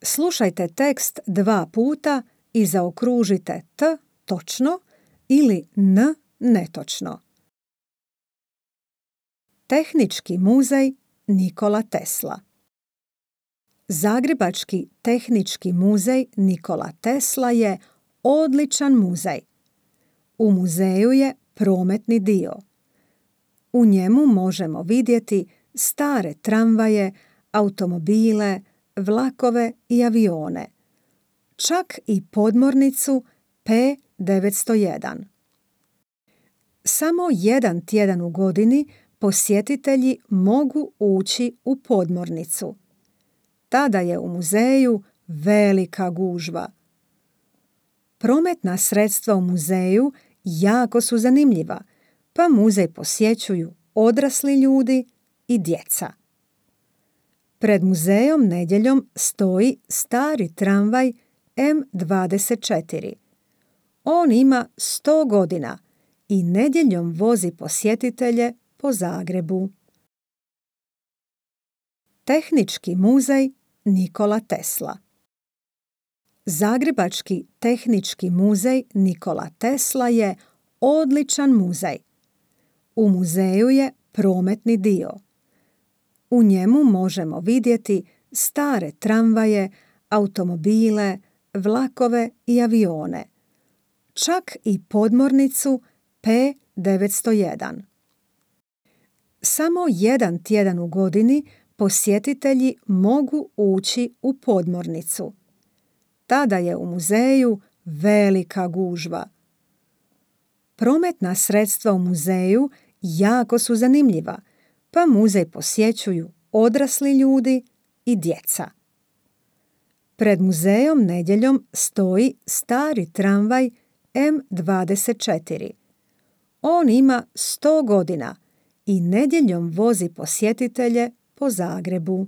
Slušajte tekst 2 puta i zaokružite T točno ili N netočno. Tehnički muzej Nikola Tesla. Zagrebački tehnički muzej Nikola Tesla je odličan muzej. U muzeju je prometni dio. U njemu možemo vidjeti stare tramvaje, automobile, vlakove i avione. Čak i podmornicu P901. Samo jedan tjedan u godini posjetitelji mogu ući u podmornicu. Tada je u muzeju velika gužva. Prometna sredstva u muzeju jako su zanimljiva, pa muzej posjećuju odrasli ljudi i djeca. Pred muzejom nedjeljom stoji stari tramvaj M24. On ima 100 godina i nedjeljom vozi posjetitelje po Zagrebu. Tehnički muzej Nikola Tesla. Zagrebački tehnički muzej Nikola Tesla je odličan muzej. U muzeju je prometni dio. U njemu možemo vidjeti stare tramvaje, automobile, vlakove i avione. Čak i podmornicu P901. Samo jedan tjedan u godini posjetitelji mogu ući u podmornicu. Tada je u muzeju velika gužva. Prometna sredstva u muzeju jako su zanimljiva, pa muzej posjećuju odrasli ljudi i djeca. Pred muzejom nedjeljom stoji stari tramvaj M24. On ima 100 godina i nedjeljom vozi posjetitelje po Zagrebu.